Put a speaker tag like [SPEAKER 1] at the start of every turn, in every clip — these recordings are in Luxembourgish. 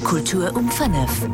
[SPEAKER 1] Kultur um 5.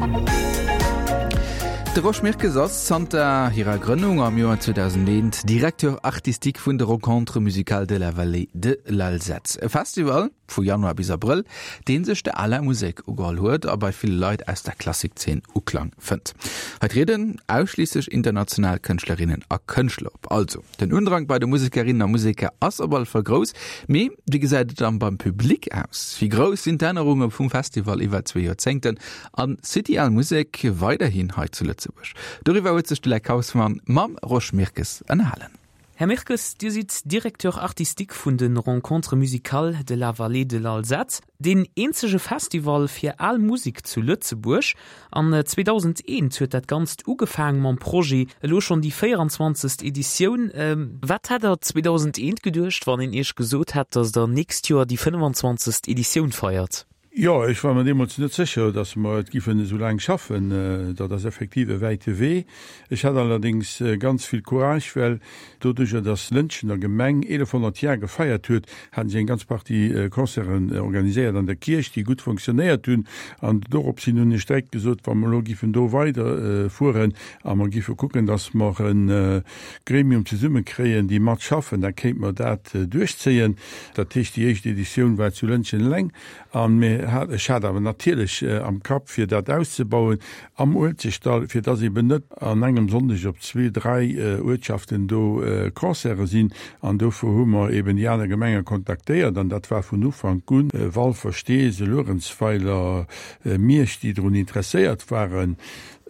[SPEAKER 2] De Rosch Mirkes ass zanter hirer Grënnung am Joer 2001 Directeur artistique vun de Rencontres musicales de la Vallée de l'Alzette, e Festival vu Januar bis Abrëll, dee sech der aler Musek ugeholl huet a bei ville Leit aus der Klassikzeen Uklang fënnt. Hei trieden ausschliisslech international Kënschtlerinnen a Kënschtler op. Also Den Undrang bei de Musekerinnen a Museker ass op alle Fall grouss. Mee wéi gesäit et dann beim Public aus? Wéi grouss sinn d'Ännerunge vum Festival iwwer zwee Joerzéngten? An City Al Musek weiderhin hei zu Lëtzebuerg? Doriwwer huet sech de Leck Hausmann mam Rosch Mirkes ënnerhalen.
[SPEAKER 3] Här Mirkes, Dir sidd Directeur artistique vun de Rencontres musicales de la Vallée de l'Alzette. Deen eenzege Festival fir al Musek zu Lëtzebuerg. An 2001 huet dat Ganzt ugefaang mam Projet, elo schonn déi 24. Editioun. Wat hätt der 2001 geduecht, wann een Iech gesot hätt, datt der nächst Joer déi 25. Editioun feiert?
[SPEAKER 4] Jo, ech war mer deemools net sécher, datt mer et giffen esou laang schaffen. Dat ass effektiv e wäite Wee. Ech hat allerdéngs ganz vill Courage, well Doduercher dass Lëntgen der Gemeng 1100 Jar gefeiert huet, haten si eng ganz Partie Concerten organiséiert an der Kierch, déi gutt fonctionnéiert hunn. An dorops hin hunn ech direkt gesot, wa mer elo giffen do weider fueren a mer giffe kucken, dass mer e Gremium zesumme kréien, déi mat schaffen, da kéinte mer dat duerchzéien. Dat heescht, déi éischt Editioun war zu Lëntgen eleng an mir hat, ech hat awer natierlech am Kapp, fir dat auszebauen am Uelzechtdall, fir dass eben net an engem Sonndeg op zwee, dräi Uertschaften do Concerte sinn. An dofir hu mer eben déi aner Gemenge kontaktéiert an dat war vun Ufank un Walfer, Steesel, Luerenzweiler, Miersch, déi drun interesséiert waren.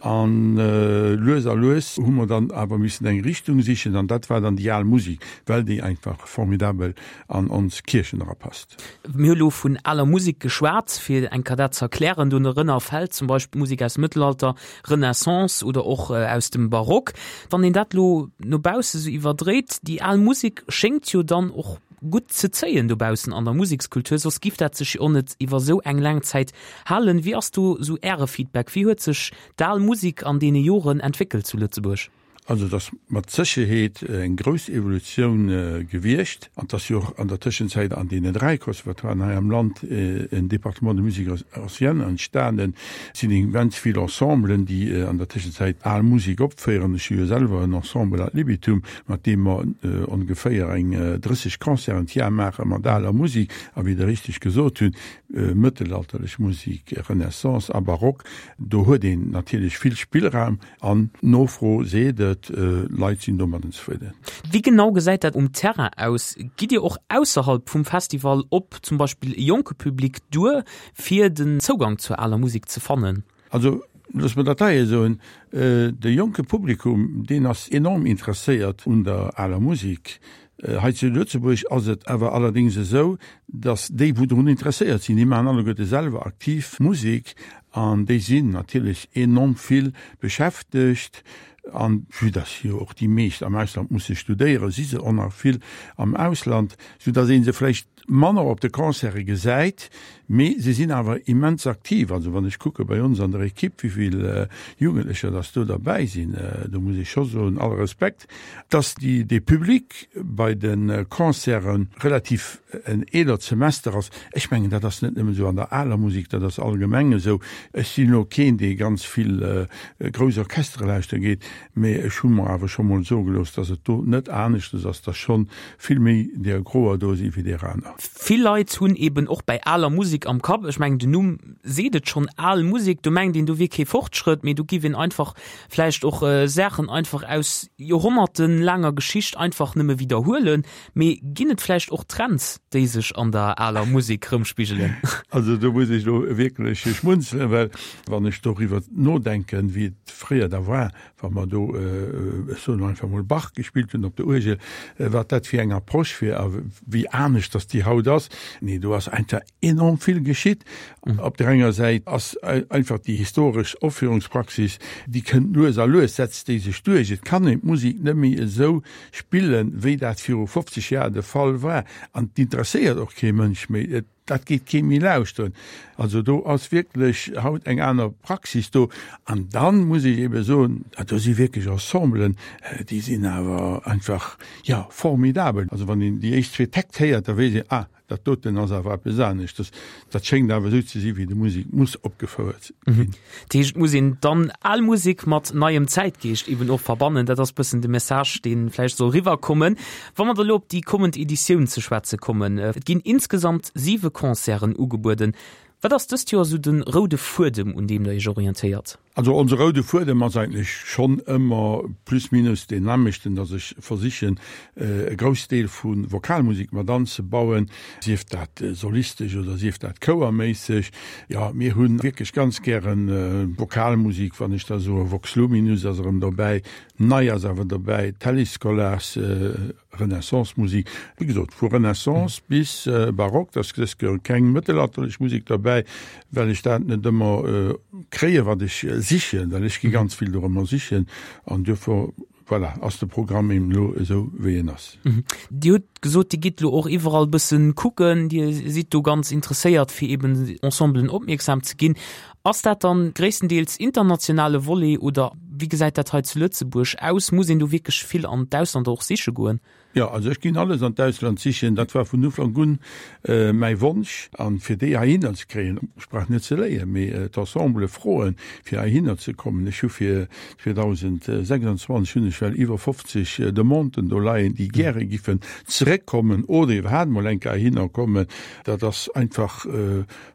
[SPEAKER 4] An lues a lues hu mer dann awer missen eng Richtung sichen an dat war dann déi al Musik, well déi einfach formidabel an ons Kierchen erapasst.
[SPEAKER 3] Mir hu lo vun aler Musek geschwat, fir eng Kéier dat ze erklären. Dorënner fält zum Beispill Musek aus dem Mëttelalter, Renaissance oder och aus dem Barock. Wann een dat lo no bausse sou iwwerdréit, déi al Musek schéngt jo dann och gutt ze zéien dobaussen an der Musekskultur, soss giff dat sech jo och net iwwer sou eng laang Zäit halen. Wéi ass do sou Äre Feedback? Wéi huet sech d'al Musek an deene Joren entwéckelt zu Lëtzebuerg?
[SPEAKER 4] Also et ass mat Sécherheet eng grouss Evolutioun gewiescht. An et ass jo och an der Tëschenzäit an deenen dräi Conservatoiren hei am Land en Département de musique ancienne entstanen. Et sinn immens vill Ensemblen, déi an der Tëschenzäit al Musek opféieren. Ech hu jo selwer en Ensemble ad libitum, mat deem mer ongeféier eng 30 Concerten d'Jar maache mat aler Musek. A wéi Der richteg gesot hutt, mëttelalterlech Musek, Renaissance a Barock, do huet een natierlech vill Spillraum. An d'Nofro seet et, Leit sinn domadden zefridden.
[SPEAKER 3] Wéi genau gesäit dat um Terrain aus? Gitt Dir och ausserhalb vum Festival op zum Beispill e jonke Public duer, fir den Zougang zur aler Musek ze fannen?
[SPEAKER 4] Also looss mer dat hei soen, De jonke Publikum, deen ass enorm interesséiert un der aler Musek. Hei zu Lëtzebuerg ass et awer allerdéngs esou, datt déi, wou drun interesséiert sinn, déi maachen alleguerte selwer aktiv Musek an déi sinn natierlech enorm vill beschäftegt. An vue datt jo och déi meescht am Ausland musse studéieren, si se och nach vill am Ausland, soudatt ee se vläicht manner op de Concerte gesäit, mee se sinn awer immens aktiv. Also wann ech kucke bei ons an der Equipe, wéi vill Jugendlecher datt do derbäi sinn, do muss ech scho soen, alle Respekt. Dass déi dee Public bei de Concerte relativ en eelert Semester ass, ech mengen dat ass net nëmmen esou an der aler Musek, dat ass allgemeng esou. Ech sinn elo keen, dee ganz vill grouss Orchestere lauschtere geet, mee ech hu mer awer scho mol soe gelooss, dass et do net aneschtes ass, dass schonn vill méi deer Groer do si wéi deer aner.
[SPEAKER 3] Vill Leit hunn eben och bäi aler Musek am Kapp, ech mengen den Numm seet et schonn, al Musek, do mengt een do wier kee Fortschrëtt, mee do giff een einfach vläicht och Saachen einfach aus joerhonnertelaanger Geschicht einfach nëmme widderhuelen. Mee ginn et vläicht och Trends, déi sech an der aler Musek rëmspigelen?
[SPEAKER 4] Also do muss ech elo wierklech schmunzelen, well wann ech doriwwer nodenken, wéi et fréier da war, wa mer do, ech soen elo einfach mol, Bach gespillt hunn op der Uergel, wat dat fir eng Approche wier a wéi anescht dass déi haut ass. Nee, do ass einfach enorm vill geschitt. Op der enger Säit ass einfach déi historesch Opführungspraxis, déi kënnt lues a lues, setzt déi sech duerch. Et kann een d'Musek net méi esou spillen, wéi dat viru 50 Jar de Fall war. An et interesséiert och kee Mënsch méi. Dat geet kee méi lauschteren. Also do ass wierklech haut eng aner Praxis do. An dann muss ech ebe soen, do si wierklech Ensemblen, déi sinn awer einfach, jo, formidabel. Also wann een déi éischt zwee Täkt héiert, da weess een, ah, dat doten ass awer eppes aneschters. Dat schéngt awer esou ze si wéi de Musek muss opgefouert ginn.
[SPEAKER 3] Dat heescht, et muss een dann al Musek mat neiem Zäitgeescht eben och verbannen. Dat ass bëssen de Message, dee vläicht soll riwwerkommen. Wa mer da lo op déi kommend Editioun ze schwätze kommen, et ginn insgesamt siwe Concerten ugebueden. Wat ass dëst Joer esou de roude Fuedem, un deem Der Iech orientéiert?
[SPEAKER 4] Also onse roude Fuedem ass eigentlech schonn ëmmer plus minus deen nämlechten, dass ech versichen e Groussdeel vu Vokalmusek mat anzebauen, sief dat solistesch oder sief dat chouerméisseg. Jo, mir hu wierklech ganz gäre Vokalmusek, wann ech da soe Vox Luminus ass erëm dobäi, Nei ass awer dobäi d'Tallis-Scholars Renaissance-Musik. Wéi gesot, vu Renaissance bis Barock, da ass dës Kéier keng mëttelalterlech Musek derbäi, well ech dat net ëmmer kréien, wat ech sichen, well ech gi ganz vill dorëmmer sichen an duerfir, voilà, ass de Programm eben elo esou, wéi en ass.
[SPEAKER 3] Dir hutt gesot, Dir gitt elo och iwwerall bëssen kucken, Dir sidd do ganz interesséiert, fir eben Ensemblen opmierksam ze ginn. Ass dat dann gréisstendeels internationale Volet oder wéi gesäit dat hei zu Lëtzebuerg aus? Muss een do wierklech vill an d'Ausland och siche goen?
[SPEAKER 4] Jo, also ech ginn alles an d'Ausland sichen. Dat war vun Ufank un mäi Wonsch. An fir déi heihinner ze kréien, ech brauch net ze léien, mee d'Ensemble froen, fir heihinner ze kommen. Ech hu fir 2026 hunn ech well iwwer 50 Demanden do leien, déi gäre giffen zeréckkommen oder iwwerhaapt mol eng Kéier heihinner kommen. Dat ass einfach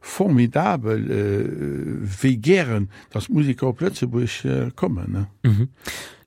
[SPEAKER 4] Formidabel wéi gären dass d'Museker op Lëtzebuerg kommen.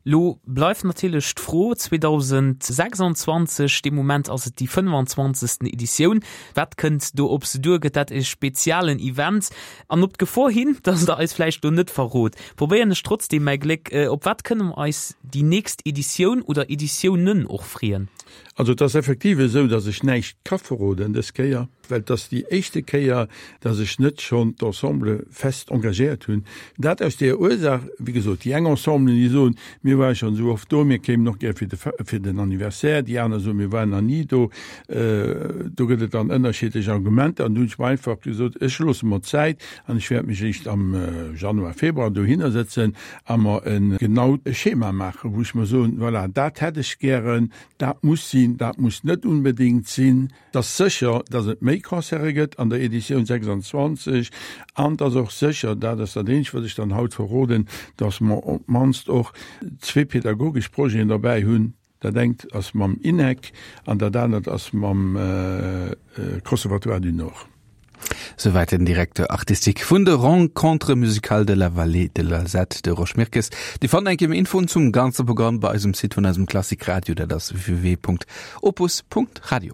[SPEAKER 3] Lo bleift natierlech d'Fro, 2026, dee Moment ass et déi 25. Editioun, wat kënnt do op se duer? Gëtt dat e spezialen Event? An op d'Gefor hin, dass Der eis vläicht lo net verrot, probéieren ech trotzdeem mäi Gléck. Op wat kënne mer eis déi nächst Editioun oder Editiounen och freeën?
[SPEAKER 4] Also et ass effektiv esou, dass ech näischt ka verroden dës Kéier. Well et ass déi éischte Kéier, dass ech net schonn d'Ensemble fest engagéiert hunn. Dat aus deeër Ursaach, wéi gesot, déi eng Ensemblen, déi soen, mir ware schonn esou oft do, mir kéimen och gär fir de, fir den Anniversaire. Déi aner soen, mir waren nach ni do. Do gëtt et dann ënnerschiddlech Argumenter. An du hunn ech mer einfach gesot, ech loosse mer Zäit an ech wäert mech eréischt am Januar, Februar dohinner sëtzen a mer e genaut Schema maachen, wou ech mer soen, voilà, dat hätt ech gären, dat muss sinn, dat muss net unbedéngt sinn. Et ass sécher, dass et méi Concerte gëtt an der Editioun 26 an et ass och sécher, dat ass dat eenzegt, wat ech dann haut verroden, dass mer op d'mannst och zwee pedagogesch Projeten derbäi hunn. Dat engt ass mam INEC an dat anert ass mam Conservatoire du Nord.
[SPEAKER 2] Souwäit den Directeur artistique vun de Rencontres musicales de la Vallée de l'Alzette, de Rosch Mirkes. Dir fannt eng Kéier méi Infoen zum ganze Programm bei eisem Site vun eisem Klassik Radio, dat ass www.opus.radio.